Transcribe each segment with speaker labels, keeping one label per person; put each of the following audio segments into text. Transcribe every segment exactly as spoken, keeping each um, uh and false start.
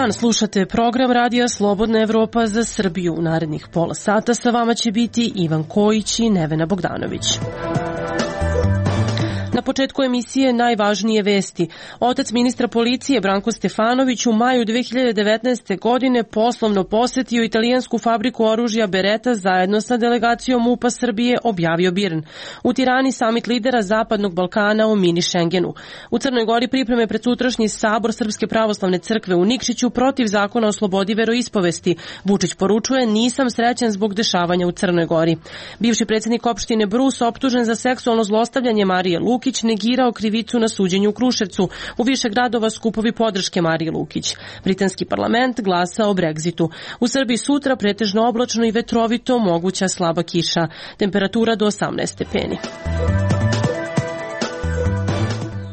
Speaker 1: dan, slušate program Radija Slobodna Evropa za Srbiju. U narednih pola sata sa vama će biti Ivan Kojić i Nevena Bogdanović. Na početku emisije najvažnije vesti. Otac ministra policije Branko Stefanović u maju dve hiljade devetnaeste. godine poslovno posetio italijansku fabriku oružja Beretta zajedno sa delegacijom M U P-a Srbije, objavio Birn. U Tirani samit lidera Zapadnog Balkana o mini Šengenu. U Crnoj Gori pripreme pred sutrašnji sabor Srpske pravoslavne crkve u Nikšiću protiv zakona o slobodi veroispovesti. Vučić poručuje: nisam srećan zbog dešavanja u Crnoj Gori. Bivši predsjednik opštine Brus optužen za seksualno zlostavljanje Marije Lukić negirao krivicu na suđenju u Kruševcu. U više gradova skupovi podrške Marije Lukić. Britanski parlament glasa o Brexitu. U Srbiji sutra pretežno oblačno i vetrovito, moguća slaba kiša. Temperatura do osamnaest stepeni.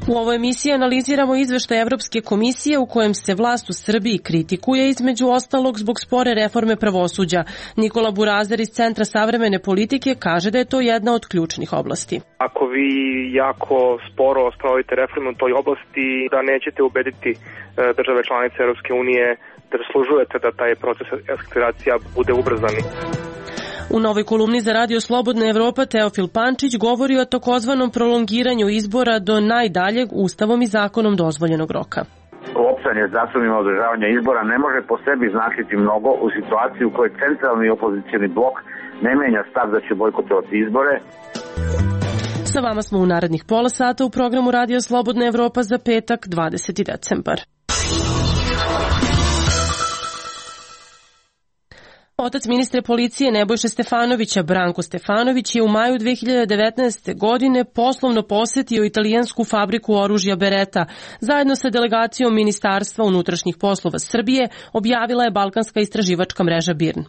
Speaker 1: U ovoj emisiji analiziramo izveštaj Evropske komisije u kojem se vlast u Srbiji kritikuje, između ostalog zbog spore reforme pravosuđa. Nikola Burazer iz Centra savremene politike kaže da je to jedna od ključnih oblasti.
Speaker 2: Ako vi jako sporo sprovodite reformu u toj oblasti, da nećete ubediti države članice Evropske unije da zaslužujete da taj proces eskalacija bude ubrzani.
Speaker 1: U novoj kolumni za Radio Slobodna Evropa Teofil Pančić govori o takozvanom prolongiranju izbora do najdaljeg ustavom i zakonom dozvoljenog roka.
Speaker 3: Opštanje zakonima održavanja izbora ne može po sebi značiti mnogo u situaciji u kojoj centralni opozicijni blok ne menja stav da će bojkotovati izbore.
Speaker 1: Sa vama smo u narednih pola sata u programu Radio Slobodna Evropa za petak, dvadeseti decembar. Otac ministra policije Nebojše Stefanovića, Branko Stefanović, je u maju dve hiljade devetnaeste. godine poslovno posetio italijansku fabriku oružja Beretta. Zajedno sa delegacijom Ministarstva unutrašnjih poslova Srbije objavila je balkanska istraživačka mreža Birn.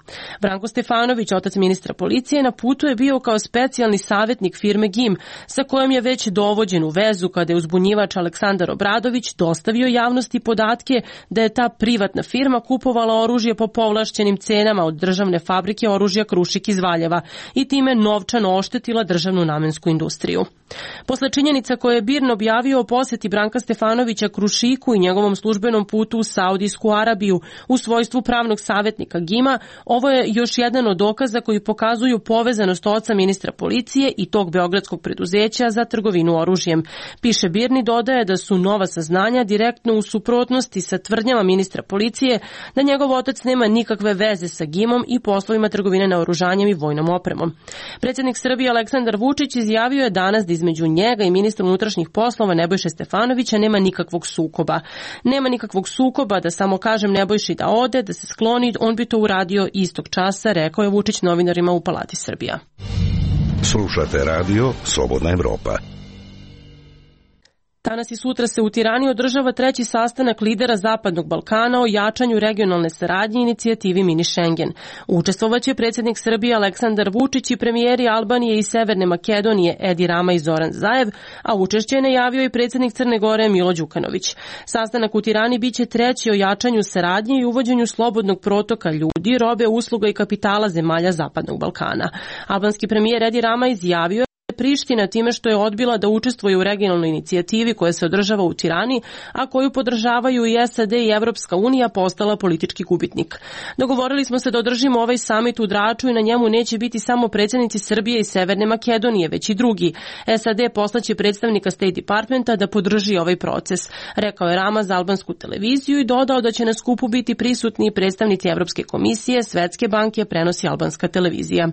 Speaker 1: Branko Stefanović, otac ministra policije, na putu je bio kao specijalni savjetnik firme G I M, sa kojom je već dovođen u vezu kada je uzbunjivač Aleksandar Obradović dostavio javnosti podatke da je ta privatna firma kupovala oružje po povlašćenim cenama od državne fabrike oružja Krušik iz Valjeva i time novčano oštetila državnu namensku industriju. Posle činjenica koje je Birn objavio o poseti Branka Stefanovića Krušiku i njegovom službenom putu u Saudijsku Arabiju u svojstvu pravnog savjetnika G I M-a, ovo je još jedan od dokaza koji pokazuju povezanost oca ministra policije i tog beogradskog preduzeća za trgovinu oružjem. Piše Birn i dodaje da su nova saznanja direktno u suprotnosti sa tvrdnjama ministra policije da njegov otac nema nikakve veze sa G I M-om i poslovima trgovine naoružanjem i vojnom opremom. Predsjednik Srbije Aleksandar Vučić izjavio je danas da između njega i ministra unutrašnjih poslova Nebojše Stefanovića nema nikakvog sukoba. Nema nikakvog sukoba, da samo kažem Nebojši da ode, da se skloni, on bi to uradio istog časa, rekao je Vučić novinarima u Palati Srbija.
Speaker 4: Slušate radio Slobodna Evropa.
Speaker 1: Danas i sutra se u Tirani održava treći sastanak lidera Zapadnog Balkana o jačanju regionalne saradnje i inicijativi Mini Schengen. Učestvovaće predsjednik Srbije Aleksandar Vučić i premijeri Albanije i Severne Makedonije Edi Rama i Zoran Zaev, a učešće je najavio i predsjednik Crne Gore Milo Đukanović. Sastanak u Tirani biće treći o jačanju saradnje i uvođenju slobodnog protoka ljudi, robe, usluga i kapitala zemalja Zapadnog Balkana. Albanski premijer Edi Rama izjavio Priština time što je odbila da učestvuje u regionalnoj inicijativi koja se održava u Tirani, a koju podržavaju i S A D i Evropska unija, postala politički gubitnik. Dogovorili smo se da održimo ovaj samit u Draču i na njemu neće biti samo predsjednici Srbije i Severne Makedonije, već i drugi. S A D poslaće predstavnika State Departmenta da podrži ovaj proces, rekao je Rama za albansku televiziju i dodao da će na skupu biti prisutni predstavnici Evropske komisije, Svetske banke, prenosi albanska televizija.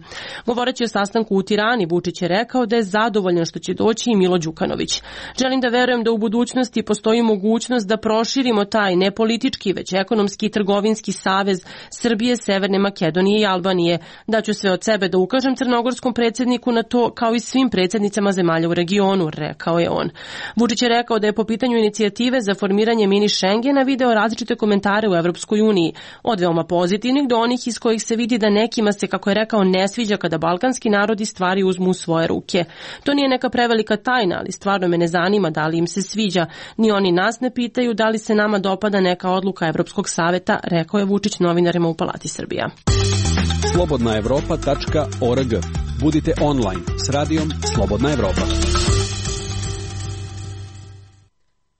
Speaker 1: Govoreći o sastanku u Tirani, Vučić je rekao da je zadovoljan što će doći i Milo Đukanović. Želim da verujem da u budućnosti postoji mogućnost da proširimo taj ne politički, već ekonomski i trgovinski savez Srbije, Severne Makedonije i Albanije. Daću sve od sebe da ukažem crnogorskom predsjedniku na to, kao i svim predsjednicama zemalja u regionu, rekao je on. Vučić je rekao da je po pitanju inicijative za formiranje mini Schengena video različite komentare u Evropskoj uniji, od veoma pozitivnih do onih iz kojih se vidi da nekima se, kako je rekao, ne sviđa kada balkanski narodi stvari uzmu u svoje ruke. To nije neka prevelika tajna, ali stvarno me ne zanima da li im se sviđa. Ni oni nas ne pitaju da li se nama dopada neka odluka Evropskog saveta, rekao je Vučić novinarima u Palati Srbija.
Speaker 5: slobodna evropa tačka org. Budite online s radijom Slobodna Evropa.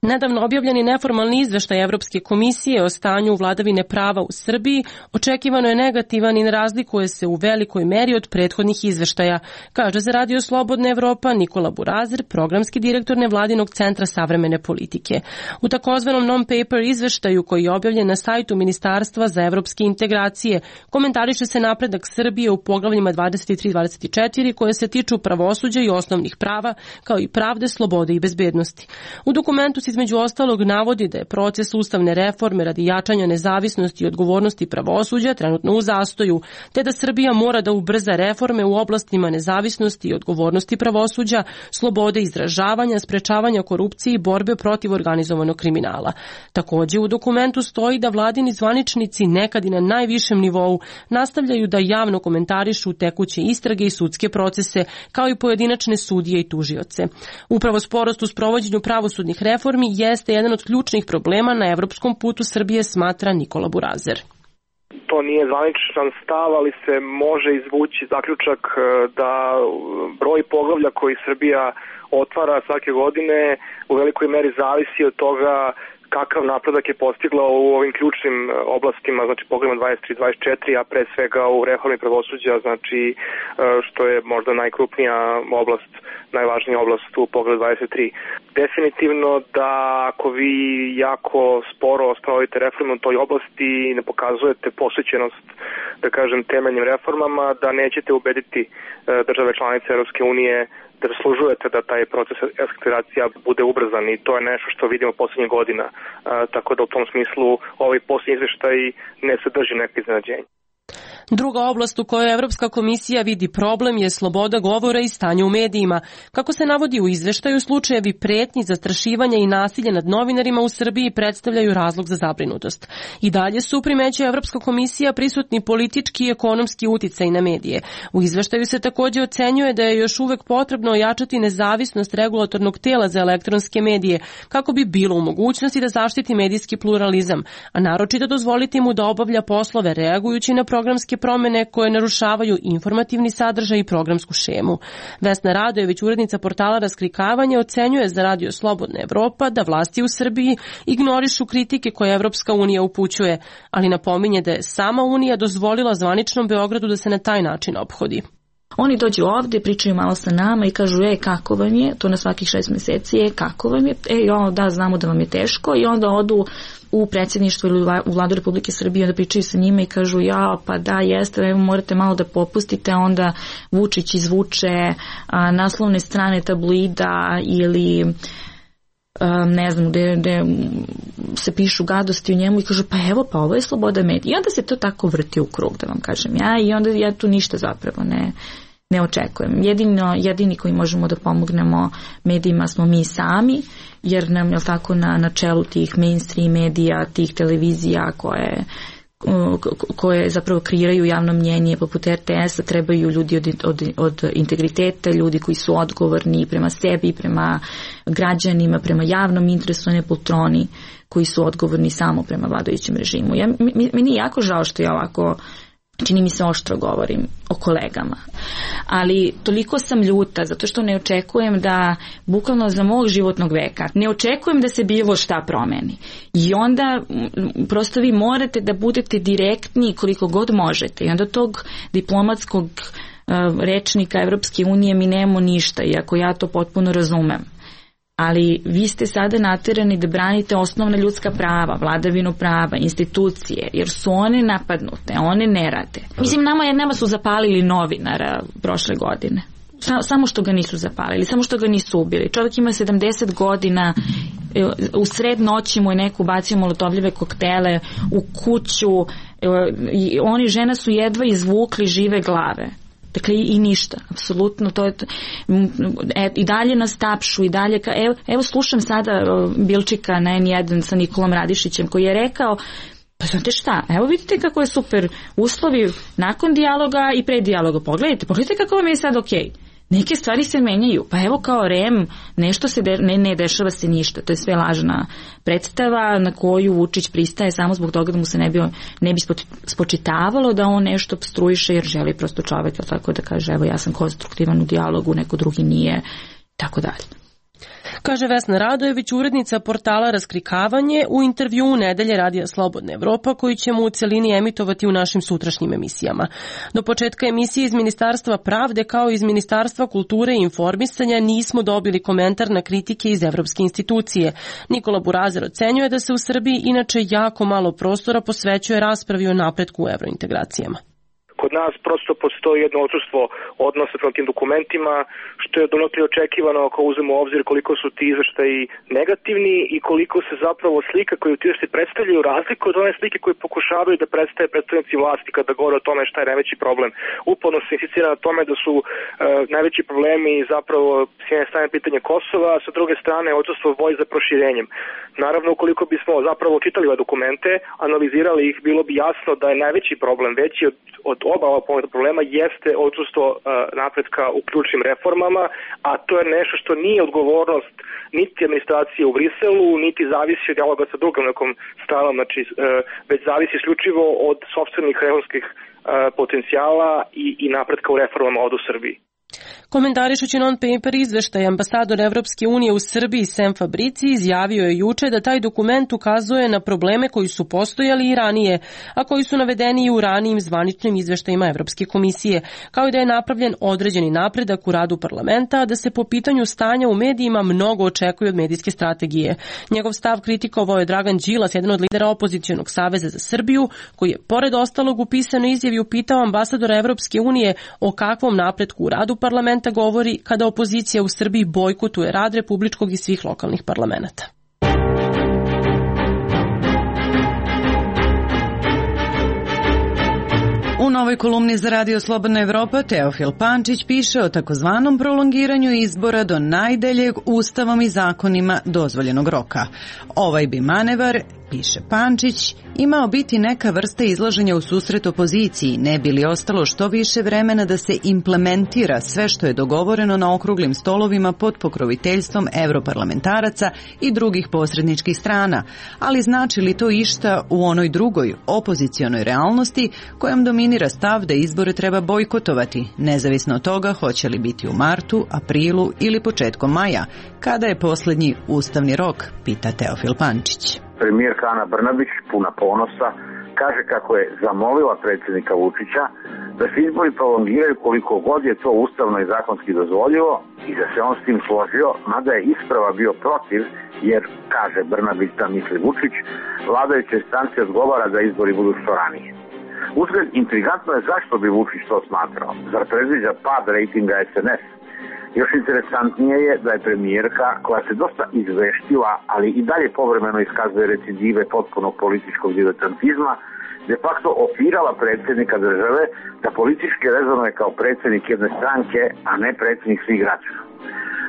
Speaker 1: Nedavno objavljeni neformalni izveštaj Evropske komisije o stanju vladavine prava u Srbiji očekivano je negativan i ne razlikuje se u velikoj meri od prethodnih izveštaja, kaže za Radio Slobodna Evropa Nikola Burazer, programski direktor Nevladinog centra savremene politike. U takozvanom non-paper izveštaju koji je objavljen na sajtu Ministarstva za evropske integracije komentariše se napredak Srbije u poglavljima dvadeset tri dvadeset četiri koje se tiču pravosuđa i osnovnih prava, kao i pravde, slobode i bezbednosti. U dokumentu se između ostalog navodi da je proces ustavne reforme radi jačanja nezavisnosti i odgovornosti pravosuđa trenutno u zastoju, te da Srbija mora da ubrza reforme u oblastima nezavisnosti i odgovornosti pravosuđa, slobode izražavanja, sprečavanja korupcije i borbe protiv organizovanog kriminala. Takođe u dokumentu stoji da vladini zvaničnici nekad i na najvišem nivou nastavljaju da javno komentarišu tekuće istrage i sudske procese, kao i pojedinačne sudije i tužioce. Upravo sporost u sprovođenju pravosudnih reformi jeste jedan od ključnih problema na evropskom putu Srbije, smatra Nikola Burazer.
Speaker 2: To nije zvaničan stav, ali se može izvući zaključak da broj poglavlja koji Srbija otvara svake godine u velikoj meri zavisi od toga kakav napredak je postigla u ovim ključnim oblastima, znači poglavljima dvadeset tri dvadeset četiri, a pre svega u reformi pravosuđa, znači što je možda najkrupnija oblast, najvažnija oblast u poglavlju dvadeset tri. Definitivno da ako vi jako sporo sprovodite reformu u toj oblasti i ne pokazujete posvećenost, da kažem, temeljnim reformama, da nećete ubediti države članice Evropske unije da zaslužujete da taj proces eskalacija bude ubrzan, i to je nešto što vidimo poslednjih godina. A, tako da u tom smislu ovaj posljednji izveštaj ne sadrži neke iznenađenje.
Speaker 1: Druga oblast u kojoj Evropska komisija vidi problem je sloboda govora i stanje u medijima. Kako se navodi u izveštaju, slučajevi pretnji, zastrašivanja i nasilja nad novinarima u Srbiji predstavljaju razlog za zabrinutost. I dalje su, primećuje Evropska komisija, prisutni politički i ekonomski uticaj na medije. U izveštaju se takođe ocenjuje da je još uvek potrebno ojačati nezavisnost regulatornog tela za elektronske medije, kako bi bilo u mogućnosti da zaštiti medijski pluralizam, a naročito dozvoliti mu da obavlja poslove reagujući na programske promene koje narušavaju informativni sadržaj i programsku šemu. Vesna Radojević, urednica portala Raskrinkavanje, ocenjuje za Radio Slobodna Evropa da vlasti u Srbiji ignorišu kritike koje Evropska unija upućuje, ali napominje da je sama Unija dozvolila zvaničnom Beogradu da se na taj način ophodi.
Speaker 6: Oni dođu ovde, pričaju malo sa nama i kažu, e, kako vam je, to na svakih šest meseci, e, kako vam je, e, o, da, znamo da vam je teško, i onda odu u predsjedništvo ili u Vladu Republike Srbije, onda pričaju sa njima i kažu, ja, pa da, jeste, evo, morate malo da popustite, onda Vučić izvuče a, naslovne strane tabloida ili Um, ne znam, gde, gde se pišu gadosti o njemu i kažu, pa evo, pa ovo je sloboda medija. I onda se to tako vrti u krug, da vam kažem ja, i onda ja tu ništa zapravo ne, ne očekujem. Jedino, jedini koji možemo da pomognemo medijima smo mi sami, jer nam je tako na, na čelu tih mainstream medija, tih televizija koje koje zapravo kreiraju javno mnjenje poput R T S-a, trebaju ljudi od, od, od integriteta, ljudi koji su odgovorni prema sebi, prema građanima, prema javnom interesu, ne poltroni koji su odgovorni samo prema vladajućem režimu. Ja, meni je jako žao što ja ovako, čini mi se, oštro govorim o kolegama, ali toliko sam ljuta zato što ne očekujem da, bukvalno za mog životnog veka, ne očekujem da se bilo šta promeni. I onda prosto vi morate da budete direktni koliko god možete, i onda tog diplomatskog uh, rečnika Evropske unije mi nemamo ništa, iako ja to potpuno razumem. Ali vi ste sada naterani da branite osnovna ljudska prava, vladavinu prava, institucije, jer su one napadnute, one ne rade. Mislim, nama, nama su zapalili novinara prošle godine. Samo što ga nisu zapalili, samo što ga nisu ubili. Čovjek ima sedamdeset godina, u sred noći mu je neko bacio molotovljive koktele u kuću, i oni, žena su jedva izvukli žive glave. Dakle, i ništa, apsolutno, to je, e, i dalje nas tapšu, i dalje, ka, evo, evo slušam sada Bilčika na N jedan sa Nikolom Radišićem, koji je rekao, pa znate šta, evo vidite kako je super uslovi nakon dijaloga i pre dijaloga, pogledajte, pogledajte kako vam je sad okej. Neke stvari se menjaju, pa evo kao R E M, nešto se de, ne, ne dešava se ništa, to je sve lažna predstava na koju Vučić pristaje samo zbog toga da mu se ne bi, ne bi spočitavalo da on nešto obstruiše, jer želi prosto čovjek, tako da kaže, evo ja sam konstruktivan u dijalogu, neko drugi nije, tako dalje.
Speaker 1: Kaže Vesna Radojević, urednica portala Raskrikavanje, u intervjuu Nedelje radija Slobodna Evropa, koji ćemo u celini emitovati u našim sutrašnjim emisijama. Do početka emisije iz Ministarstva pravde kao iz Ministarstva kulture i informisanja nismo dobili komentar na kritike iz Evropske institucije. Nikola Burazer ocenjuje da se u Srbiji inače jako malo prostora posvećuje raspravi o napretku u evrointegracijama.
Speaker 2: Kod nas prosto postoji jedno odsustvo odnosa prema tim dokumentima, što je donekle očekivano ako uzmemo u obzir koliko su ti izveštaji negativni i koliko se zapravo slika koju ti izveštaji predstavljaju razliku od one slike koje pokušavaju da predstave predstavnici vlasti kada govore o tome šta je najveći problem. Uporno se insistira na tome da su e, najveći problemi zapravo s jedne strane pitanje Kosova, a sa druge strane odsustvo volje za proširenjem. Naravno, ukoliko bismo zapravo čitali ove dokumente, analizirali ih, bilo bi jasno da je najveći problem veći od, od oba ova problema jeste odsustvo uh, napretka u ključnim reformama, a to je nešto što nije odgovornost niti administracije u Briselu, niti zavisi od dijaloga sa drugom nekom stranom, znači uh, već zavisi isključivo od sopstvenih reformskih uh, potencijala i, i napretka u reformama od u Srbiji.
Speaker 1: Komentarišući non-paper izveštaj, ambasador Evropske unije u Srbiji Sem Fabrici izjavio je juče da taj dokument ukazuje na probleme koji su postojali i ranije, a koji su navedeni i u ranijim zvaničnim izveštajima Evropske komisije, kao i da je napravljen određeni napredak u radu parlamenta, a da se po pitanju stanja u medijima mnogo očekuje od medijske strategije. Njegov stav kritikovao je Dragan Đilas, jedan od lidera opozicionog saveza za Srbiju, koji je pored ostalog u pisanoj izjavi upitao ambasadora Evropske unije o kakvom napretku u radu parlamenta govori kada opozicija u Srbiji bojkotuje rad republičkog i svih lokalnih parlamenta.
Speaker 7: U novoj kolumni za Radio Slobodna Evropa Teofil Pančić piše o takozvanom prolongiranju izbora do najdeljeg ustavom i zakonima dozvoljenog roka. Ovaj bi manevar, piše Pančić, imao biti neka vrsta izlaženja u susret opoziciji, ne bi li ostalo što više vremena da se implementira sve što je dogovoreno na okruglim stolovima pod pokroviteljstvom evroparlamentaraca i drugih posredničkih strana, ali znači li to išta u onoj drugoj opozicionoj realnosti kojom dominira stav da izbore treba bojkotovati, nezavisno od toga hoće li biti u martu, aprilu ili početkom maja, kada je posljednji ustavni rok, pita Teofil Pančić.
Speaker 3: Premijerka Ana Brnabić, puna ponosa, kaže kako je zamolila predsjednika Vučića da se izbori prolongiraju koliko god je to ustavno i zakonski dozvoljivo i da se on s tim složio, mada je isprava bio protiv, jer, kaže Brnabić da misli Vučić, vladajuće stranci odgovara da izbori budu što ranije. Uzgled, intrigantno je zašto bi Vučić to smatrao. Zar predviđa pad rejtinga es en es? Još interesantnije je da je premijerka, koja se dosta izveštila, ali i dalje povremeno iskazuje recidive potpunog političkog diletantizma, de facto ofirala predsjednika države da politički rezonuje kao predsjednik jedne stranke, a ne predsjednik svih građana.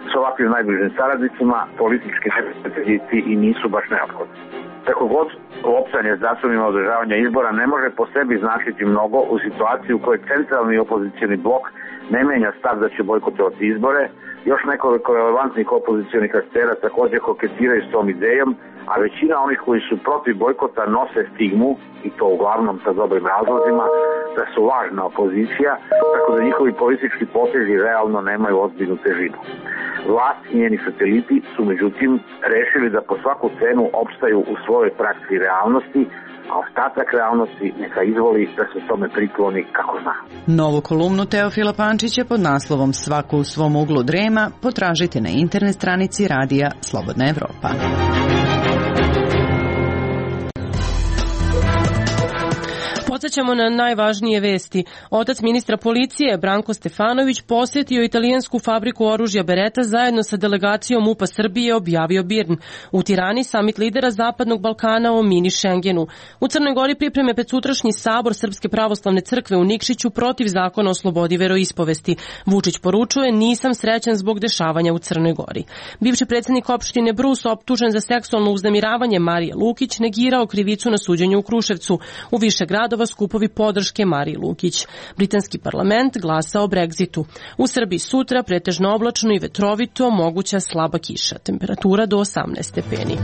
Speaker 3: S ovakvim najbližim saradnicima politički neprijatelji i nisu baš neophodni. Tako god, opstanje s datumima održavanja izbora ne može po sebi značiti mnogo u situaciji u kojoj centralni opozicioni blok ne menja stav da će bojkotovati izbore. Još nekoliko relevantnih opozicionih aktera također koketiraju s tom idejom, a većina onih koji su protiv bojkota nose stigmu, i to uglavnom sa dobrim razlozima, da su lažna opozicija, tako da njihovi politički potezi realno nemaju ozbiljnu težinu. Vlast i njeni sateliti su međutim rešili da po svaku cenu opstaju u svojoj praksi i realnosti, a ostatak realnosti neka izvoli da se tome prikloni kako zna.
Speaker 7: Novu kolumnu Teofila Pančića pod naslovom Svako u svom uglu drema potražite na internet stranici Radija Slobodna Evropa.
Speaker 1: Podsjećamo na najvažnije vesti. Otac ministra policije Branko Stefanović posjetio italijansku fabriku oružja Beretta zajedno sa delegacijom MUP-a Srbije, objavio Birn. U Tirani samit lidera Zapadnog Balkana o mini Schengenu. U Crnoj Gori pripreme pred sutrašnji sabor Srpske pravoslavne crkve u Nikšiću protiv zakona o slobodi veroispovesti. Vučić poručuje: nisam srećan zbog dešavanja u Crnoj Gori. Bivši predsjednik opštine Brus, optužen za seksualno uznemiravanje Marije Lukić, negirao krivicu na suđenju u Kruševcu. U više gradova skupovi podrške Mariji Lukić. Britanski parlament glasa o Brexitu. U Srbiji sutra pretežno oblačno i vetrovito, moguća slaba kiša. Temperatura do osamnaest stepeni.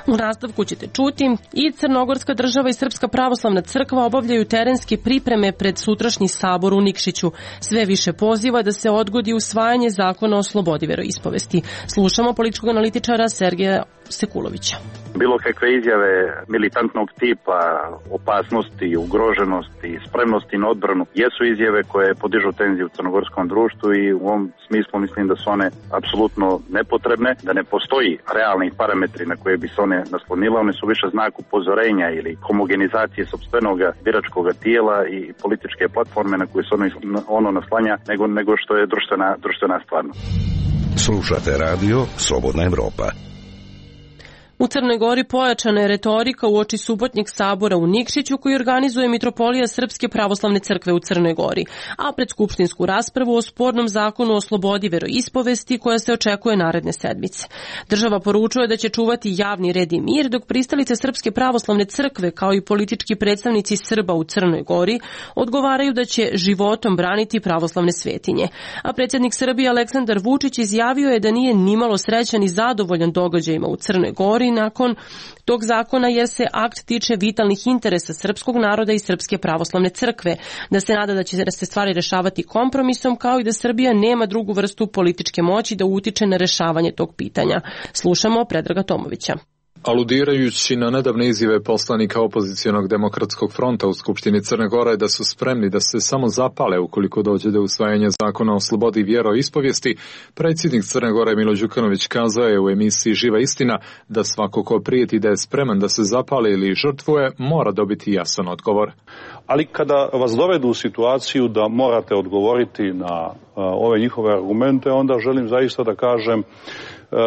Speaker 1: U nastavku ćete čuti i Crnogorska država i Srpska pravoslavna crkva obavljaju terenske pripreme pred sutrašnji sabor u Nikšiću. Sve više poziva da se odgodi usvajanje zakona o slobodi veroispovesti. Slušamo političkog analitičara Sergeja Sekulovića.
Speaker 3: Bilo kakve izjave militantnog tipa, opasnosti, ugroženosti, spremnosti na odbranu jesu izjave koje podižu tenziju u crnogorskom društvu i u ovom smislu mislim da su one apsolutno nepotrebne, da ne postoji realni parametri na koje bi se one naslonile. One su više znak upozorenja ili homogenizacije sopstvenog biračkog tijela i političke platforme na koje se ono, ono naslanja nego, nego što je društvena, društvena stvarnost.
Speaker 4: Slušate radio Slobodna Evropa.
Speaker 1: U Crnoj Gori pojačana je retorika uoči subotnjeg sabora u Nikšiću koji organizuje Mitropolija Srpske pravoslavne crkve u Crnoj Gori, a pred skupštinsku raspravu o spornom zakonu o slobodi veroispovesti koja se očekuje naredne sedmice. Država poručuje da će čuvati javni red i mir, dok pristalice Srpske pravoslavne crkve kao i politički predstavnici Srba u Crnoj Gori odgovaraju da će životom braniti pravoslavne svetinje. A predsjednik Srbije Aleksandar Vučić izjavio je da nije nimalo srećan i zadovoljan događajima u Crnoj Gori nakon tog zakona jer se akt tiče vitalnih interesa srpskog naroda i Srpske pravoslavne crkve, da se nada da će se stvari rešavati kompromisom kao i da Srbija nema drugu vrstu političke moći da utiče na rešavanje tog pitanja. Slušamo Predraga Tomovića.
Speaker 8: Aludirajući na nedavne izjave poslanika opozicionog demokratskog fronta u Skupštini Crne Gore da su spremni da se samo zapale ukoliko dođe do usvajanja zakona o slobodi vjeroispovijesti, predsjednik Crne Gore Milo Đukanović kazao je u emisiji Živa istina da svako ko prijeti da je spreman da se zapale ili žrtvuje mora dobiti jasan odgovor.
Speaker 9: Ali kada vas dovedu u situaciju da morate odgovoriti na uh, ove njihove argumente, onda želim zaista da kažem uh,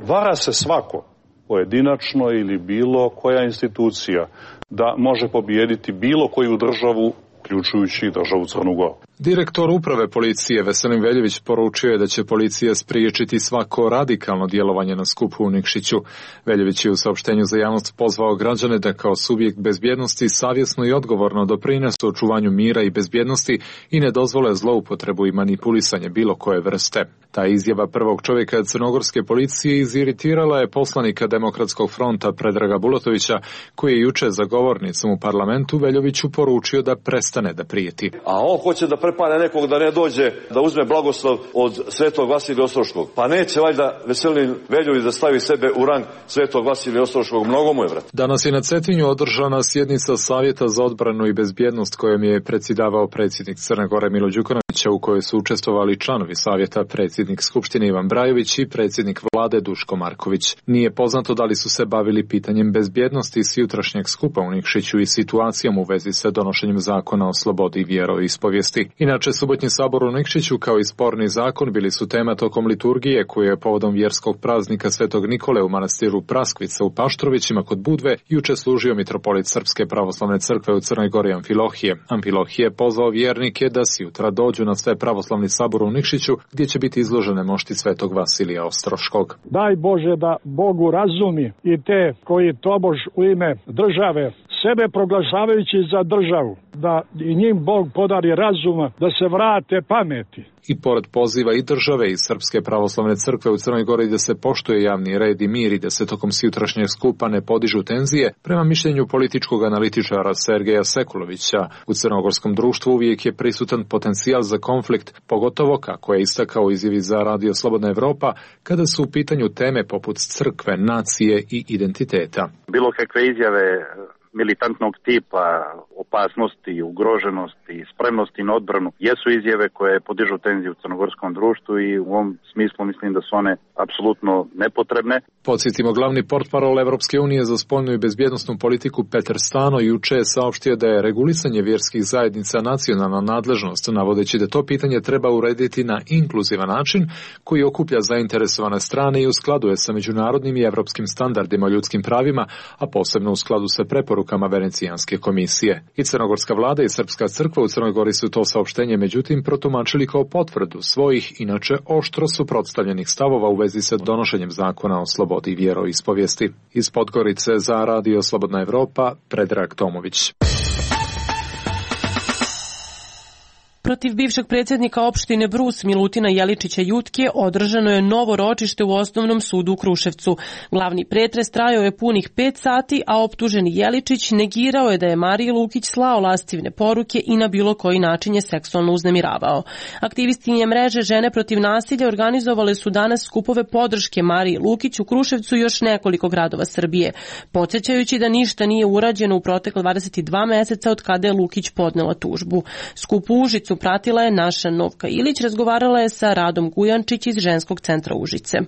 Speaker 9: vara se svako pojedinačno ili bilo koja institucija da može pobijediti bilo koju državu, uključujući državu Crnu Goru.
Speaker 8: Direktor uprave policije Veselin Veljević poručio je da će policija spriječiti svako radikalno djelovanje na skupu u Nikšiću. Veljević je u saopštenju za javnost pozvao građane da kao subjekt bezbjednosti savjesno i odgovorno doprinesu očuvanju mira i bezbjednosti i ne dozvole zloupotrebu i manipulisanje bilo koje vrste. Ta izjava prvog čovjeka crnogorske policije iziritirala je poslanika Demokratskog fronta Predraga Bulatovića, koji je juče za govornicom u parlamentu Veljoviću poručio da prestane da prijeti.
Speaker 10: A on hoće da prepane nekog da ne dođe da uzme blagoslov od Svetog Vasilija Ostroškog. Pa neće valjda Veselin Veljović da stavi sebe u rang Svetog Vasilija Ostroškog, mnogo mu je, vrat.
Speaker 8: Danas je na Cetinju održana sjednica Savjeta za odbranu i bezbjednost kojom je predsjedavao predsjednik Crne Gore Milo Đukanovića, u kojoj su učestvovali članovi Savjeta, predsjednik Skupštine Ivan Brajović i predsjednik vlade Duško Marković. Nije poznato da li su se bavili pitanjem bezbjednosti s jutrašnjeg skupa u Nikšiću i situacijom u vezi sa donošenjem zakona o slobodi vjeroispovijesti. Inače, subotnji sabor u Nikšiću kao i sporni zakon bili su tema tokom liturgije koju je povodom vjerskog praznika Svetog Nikole u manastiru Praskvica u Paštrovićima kod Budve juče služio mitropolit Srpske pravoslavne crkve u Crnoj Gori Amfilohije. Amfilohije je pozvao vjernike da si jutra dođu na sve pravoslavni sabor u Nikšiću gdje će biti izložene mošti Svetog Vasilija Ostroškog.
Speaker 11: Daj Bože da Bogu razumi i te koji tobož u ime države sebe proglašavajući za državu, da i njim Bog podari razuma, da se vrate pameti.
Speaker 8: I pored poziva i države i Srpske pravoslavne crkve u Crnoj Gori da se poštuje javni red i mir i da se tokom sutrašnjeg skupa ne podižu tenzije, prema mišljenju političkog analitičara Sergeja Sekulovića, u crnogorskom društvu uvijek je prisutan potencijal za konflikt, pogotovo, kako je istakao u izjavi za Radio Slobodna Evropa, kada su u pitanju teme poput crkve, nacije i identiteta.
Speaker 3: Bilo kakve izjave militantnog tipa, opasnosti, ugroženosti, spremnosti na odbranu jesu izjave koje podižu tenziju u crnogorskom društvu i u ovom smislu mislim da su one apsolutno nepotrebne.
Speaker 8: Podsjetimo, glavni portparol Evropske unije za spoljnu i bezbjednosnu politiku Petar Stano juče je saopštio da je regulisanje vjerskih zajednica nacionalna nadležnost, navodeći da to pitanje treba urediti na inkluzivan način koji okuplja zainteresovane strane i u skladu je sa međunarodnim i evropskim standardima o ljudskim pravima, a posebno u skladu sa preporukama Venecijanske komisije. I crnogorska vlada i Srpska crkva u Crnoj Gori su to saopštenje međutim protumačili kao potvrdu svojih inače oštro suprotstavljenih stavova u vezi sa donošenjem zakona o slobodi vjeroispovijesti. Iz Podgorice za Radio Slobodna Evropa, Predrag Tomović.
Speaker 1: Protiv bivšeg predsjednika opštine Brus Milutina Jeličića Jutke održano je novo ročište u Osnovnom sudu u Kruševcu. Glavni pretres trajao je punih pet sati, a optuženi Jeličić negirao je da je Mariji Lukić slao lascivne poruke i na bilo koji način je seksualno uznemiravao. Aktivistinje mreže Žene protiv nasilja organizovale su danas skupove podrške Mariji Lukić u Kruševcu i još nekoliko gradova Srbije, podsjećajući da ništa nije urađeno u protekle dvadeset dva meseca od kada je Lukić podnela tužbu. Skup u Užicu pratila je naša Novka Ilić, razgovarala je sa Radom Gujančić iz Ženskog centra Užice.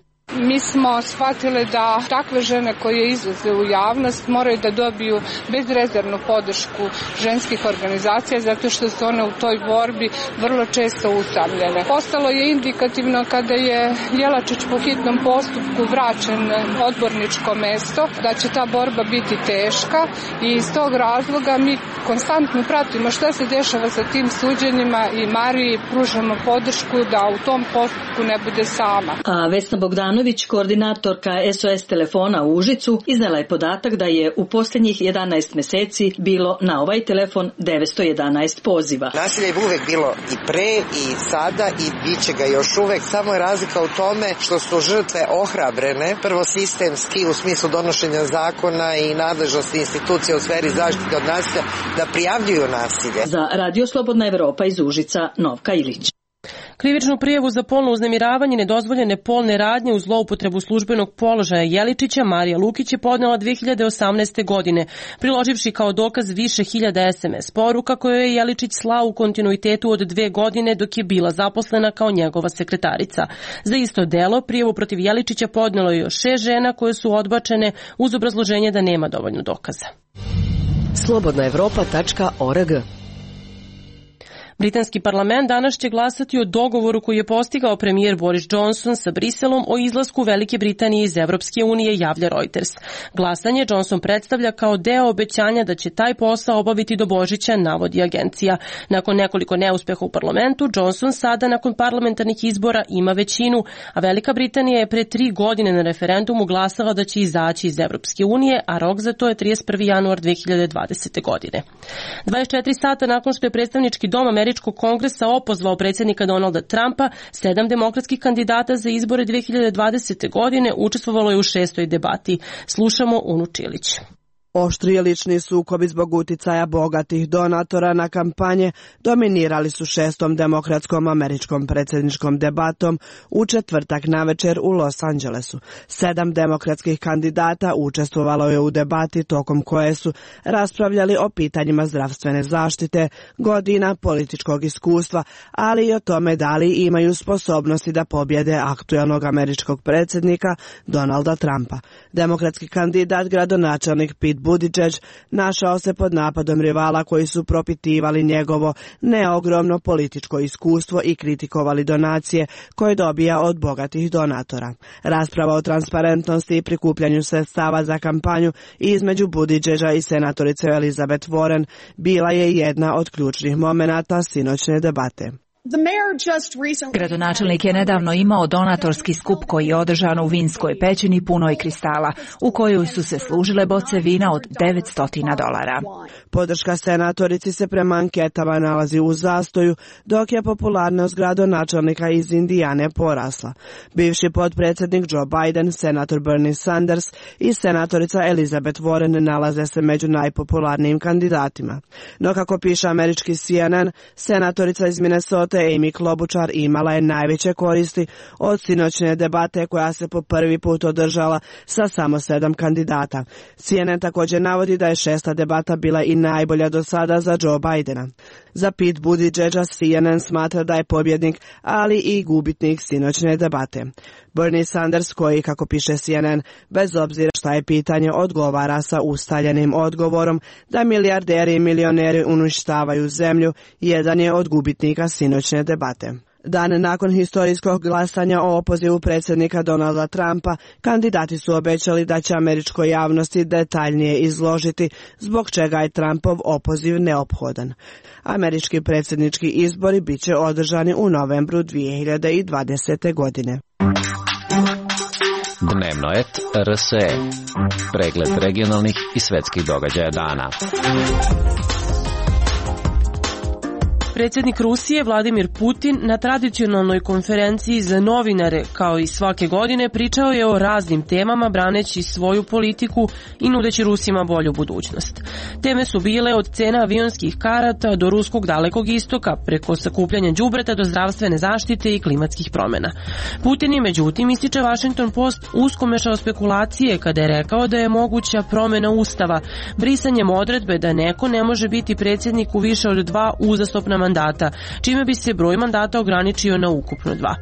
Speaker 12: Mi smo shvatili da takve žene koje izlaze u javnost moraju da dobiju bezrezervnu podršku ženskih organizacija zato što su one u toj borbi vrlo često usamljene. Postalo je indikativno kada je Jelačić po hitnom postupku vraćen odborničko mesto, da će ta borba biti teška i iz tog razloga mi konstantno pratimo šta se dešava sa tim suđenjima i Mariji pružamo podršku da u tom postupku ne bude sama.
Speaker 13: A Vesna Bogdanović, koordinatorka S O S telefona u Užicu, iznela je podatak da je u posljednjih jedanaest meseci bilo na ovaj telefon devetsto jedanaest poziva.
Speaker 14: Nasilje je uvek bilo i pre i sada i bit će ga još uvek, samo je razlika u tome što su žrtve ohrabrene, prvo sistemski u smislu donošenja zakona i nadležnosti institucija u sferi zaštite od nasilja da prijavljuju nasilje.
Speaker 13: Za Radio Slobodna Evropa iz Užica, Novka Ilić.
Speaker 1: Krivičnu prijavu za polno uznemiravanje, nedozvoljene polne radnje uz zloupotrebu službenog položaja Jeličića Marija Lukić je podnela dve hiljade osamnaeste. godine, priloživši kao dokaz više hiljada es em es poruka koje je Jeličić slao u kontinuitetu od dve godine dok je bila zaposlena kao njegova sekretarica. Za isto delo prijavu protiv Jeličića podnelo je još šest žena koje su odbačene uz obrazloženje da nema dovoljno dokaza.
Speaker 15: slobodna evropa tačka org.
Speaker 1: Britanski parlament danas će glasati o dogovoru koji je postigao premijer Boris Johnson sa Briselom o izlasku Velike Britanije iz Evropske unije, javlja Reuters. Glasanje Johnson predstavlja kao deo obećanja da će taj posao obaviti do Božića, navodi agencija. Nakon nekoliko neuspeha u parlamentu, Johnson sada nakon parlamentarnih izbora ima većinu, a Velika Britanija je pre tri godine na referendumu glasala da će izaći iz Evropske unije, a rok za to je trideset prvi januar dve hiljade dvadesete. godine. dvadeset četiri sata nakon što je predstavnički dom Američkog kongresa opozvao predsjednika Donalda Trumpa, sedam demokratskih kandidata za izbore dve hiljade dvadesete. godine učestvovalo je u šestoj debati. Slušamo Unu Čilić.
Speaker 16: Oštri je lični sukobi zbog uticaja bogatih donatora na kampanje dominirali su šestom demokratskom američkom predsjedničkom debatom u četvrtak navečer u Los Angelesu. Sedam demokratskih kandidata učestvovalo je u debati tokom koje su raspravljali o pitanjima zdravstvene zaštite, godina političkog iskustva, ali i o tome da li imaju sposobnosti da pobjede aktuelnog američkog predsjednika Donalda Trumpa. Demokratski kandidat gradonačelnik Pete Buttigieg našao se pod napadom rivala koji su propitivali njegovo neogromno političko iskustvo i kritikovali donacije koje dobija od bogatih donatora. Rasprava o transparentnosti i prikupljanju sredstava za kampanju između Buttigiega i senatorice Elizabeth Warren bila je jedna od ključnih momenata sinoćne debate.
Speaker 17: Gradonačelnik je nedavno imao donatorski skup koji je održan u vinskoj pećini punoj kristala, u kojoj su se služile boce vina od devetsto dolara.
Speaker 16: Podrška senatorici se prema anketama nalazi u zastoju, dok je popularnost gradonačelnika iz Indijane porasla. Bivši potpredsjednik Joe Biden, senator Bernie Sanders i senatorica Elizabeth Warren nalaze se među najpopularnijim kandidatima. No kako piše američki C N N, senatorica iz Minnesota Amy Klobuchar imala je najveće koristi od sinoćne debate koja se po prvi put održala sa samo sedam kandidata. C N N također navodi da je šesta debata bila i najbolja do sada za Joe Bidena. Za Pete Buttigiega C N N smatra da je pobjednik, ali i gubitnik sinoćne debate. Bernie Sanders, koji, kako piše C N N, bez obzira šta je pitanje, odgovara sa ustaljenim odgovorom da milijarderi i milioneri uništavaju zemlju, jedan je od gubitnika sinoćne debate. Dan nakon historijskog glasanja o opozivu predsjednika Donalda Trumpa, kandidati su obećali da će američkoj javnosti detaljnije izložiti zbog čega je Trumpov opoziv neophodan. Američki predsjednički izbori bit će održani u novembru dve hiljade dvadesete. godine.
Speaker 18: Dnevnoet R S E. Pregled regionalnih i svetskih događaja dana.
Speaker 1: predsjednik Rusije Vladimir Putin na tradicionalnoj konferenciji za novinare, kao i svake godine, pričao je o raznim temama braneći svoju politiku i nudeći Rusima bolju budućnost. Teme su bile od cena avionskih karata do ruskog dalekog istoka, preko sakupljanja đubreta do zdravstvene zaštite i klimatskih promjena. Putin je, međutim, ističe Washington Post, usko mešao spekulacije kada je rekao da je moguća promjena ustava, brisanjem odredbe da neko ne može biti predsjednik u više od dva uzastopna mandata, čime bi se broj mandata ograničio na ukupno dva.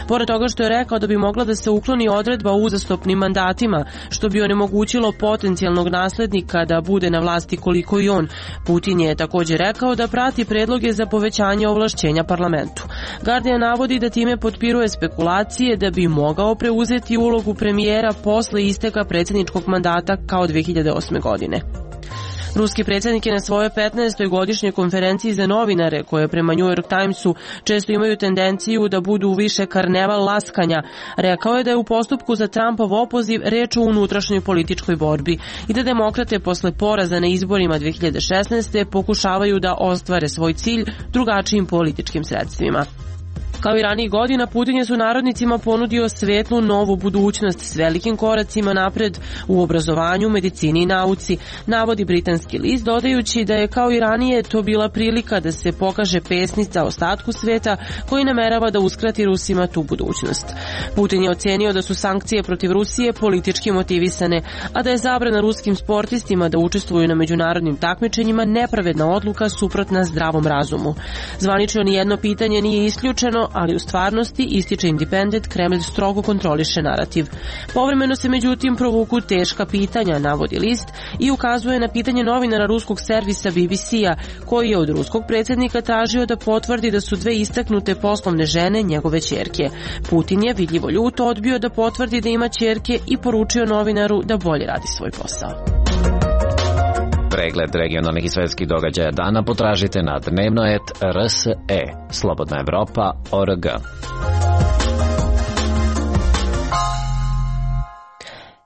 Speaker 1: Pored toga što je rekao da bi mogla da se ukloni odredba o uzastopnim mandatima, što bi onemogućilo potencijalnog naslednika da bude na vlasti koliko i on, Putin je također rekao da prati predloge za povećanje ovlašćenja parlamentu. Guardian navodi da time potpiruje spekulacije da bi mogao preuzeti ulogu premijera posle isteka predsjedničkog mandata kao dve hiljade osme. godine. Ruski predsjednik je na svojoj petnaestoj godišnjoj konferenciji za novinare, koje prema New York Timesu često imaju tendenciju da budu više karneval laskanja, rekao je da je u postupku za Trumpov opoziv reč o unutrašnjoj političkoj borbi i da demokrate posle poraza na izborima dve hiljade šesnaeste. pokušavaju da ostvare svoj cilj drugačijim političkim sredstvima. Kao i ranijih godina, Putin je sunarodnicima ponudio svetlu novu budućnost s velikim koracima napred u obrazovanju, medicini i nauci, navodi britanski list, dodajući da je kao i ranije to bila prilika da se pokaže pesnica ostatku sveta koji namerava da uskrati Rusima tu budućnost. Putin je ocenio da su sankcije protiv Rusije politički motivisane, a da je zabrana ruskim sportistima da učestvuju na međunarodnim takmičenjima nepravedna odluka suprotna zdravom razumu. Zvanično nijedno pitanje nije isključeno, ali u stvarnosti, ističe Independent, Kremlj strogo kontroliše narativ. Povremeno se međutim provuku teška pitanja, navodi list, i ukazuje na pitanje novinara ruskog servisa B B C-a, koji je od ruskog predsjednika tražio da potvrdi da su dve istaknute poslovne žene njegove ćerke. Putin je vidljivo ljuto odbio da potvrdi da ima ćerke i poručio novinaru da bolje radi svoj posao.
Speaker 18: Pregled regionalnih i svetskih događaja dana potražite na dnevnoet R S E, Slobodna Evropa, O R G.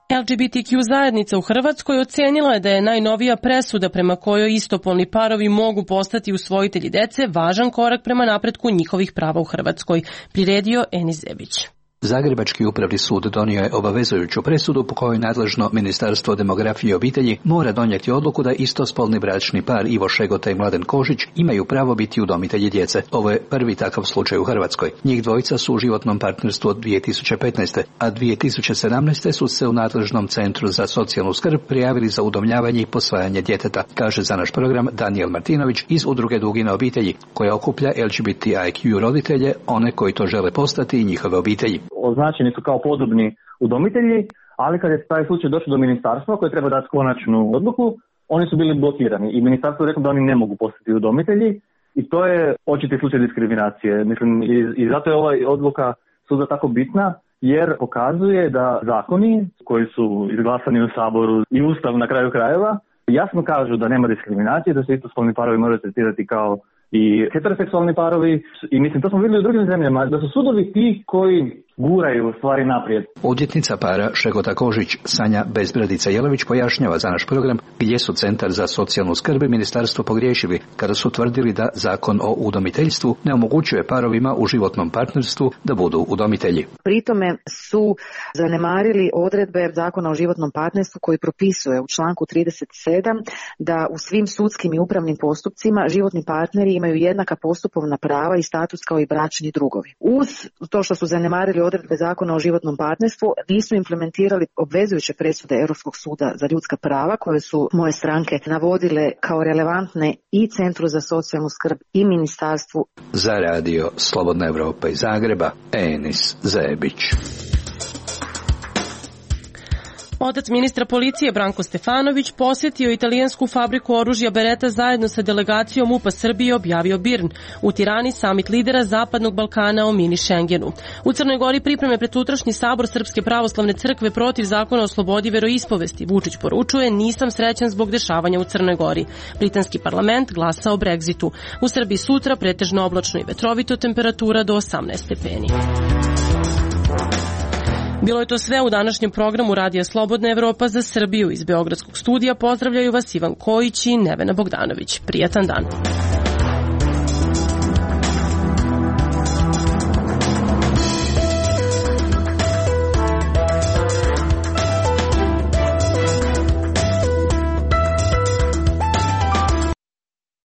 Speaker 1: L G B T Q zajednica u Hrvatskoj ocenila je da je najnovija presuda prema kojoj istopolni parovi mogu postati usvojitelji dece važan korak prema napretku njihovih prava u Hrvatskoj, priredio Enis Zebić.
Speaker 19: Zagrebački upravni sud donio je obavezujuću presudu po kojoj nadležno Ministarstvo demografije i obitelji mora donijeti odluku da istospolni bračni par Ivo Šegota i Mladen Kožić imaju pravo biti udomitelji djece. Ovo je prvi takav slučaj u Hrvatskoj. Njih dvojica su u životnom partnerstvu od dvije tisuće petnaeste. a dvije tisuće sedamnaeste. su se u nadležnom centru za socijalnu skrb prijavili za udomljavanje i posvajanje djeteta, kaže za naš program Danijel Martinović iz udruge Dugina obitelji, koja okuplja L G B T I Q roditelje, one koji to žele postati i njihove obitelji.
Speaker 20: Označeni su kao podobni udomitelji, ali kad je taj slučaj došao do ministarstva koje treba dati konačnu odluku, oni su bili blokirani i ministarstvo je reklo da oni ne mogu postati udomitelji i to je očiti slučaj diskriminacije. Mislim, i, i zato je ova odluka suda tako bitna, jer pokazuje da zakoni koji su izglasani u Saboru i Ustav na kraju krajeva jasno kažu da nema diskriminacije, da se istospolni parovi moraju tretirati kao i heteroseksualni parovi, i mislim, to smo vidjeli u drugim zemljama, da su sudovi ti koji guraju stvari naprijed.
Speaker 19: Odvjetnica para Šegota Kožić, Sanja Bezbradica-Jelović, pojašnjava za naš program gdje su Centar za socijalnu skrb i ministarstvo pogriješili kada su tvrdili da zakon o udomiteljstvu ne omogućuje parovima u životnom partnerstvu da budu udomitelji.
Speaker 21: Pritome su zanemarili odredbe zakona o životnom partnerstvu koji propisuje u članku trideset sedam da u svim sudskim i upravnim postupcima životni partneri imaju jednaka postupovna prava i status kao i bračni drugovi. Uz to što su zanemarili odredbe zakona o životnom partnerstvu, nisu implementirali obvezujuće presude Europskog suda za ljudska prava koje su moje stranke navodile kao relevantne i Centru za socijalnu skrb i ministarstvu.
Speaker 19: Za radio Slobodna Evropa iz Zagreba, Enis Zebić.
Speaker 1: Otac ministra policije Branko Stefanović posjetio italijansku fabriku oružja Beretta zajedno sa delegacijom U P A Srbije, objavio Birn. U Tirani samit lidera Zapadnog Balkana o mini Schengenu. U Crnoj Gori pripreme pred sutrašnji sabor Srpske pravoslavne crkve protiv zakona o slobodi veroispovesti. Vučić poručuje: nisam srećan zbog dešavanja u Crnoj Gori. Britanski parlament glasa o Brexitu. U Srbiji sutra pretežno oblačno i vetrovito, temperatura do osamnaest stepeni. Bilo je to sve u današnjem programu Radija Slobodna Evropa za Srbiju. Iz Beogradskog studija pozdravljaju vas Ivan Kojić i Nevena Bogdanović. Prijatan dan.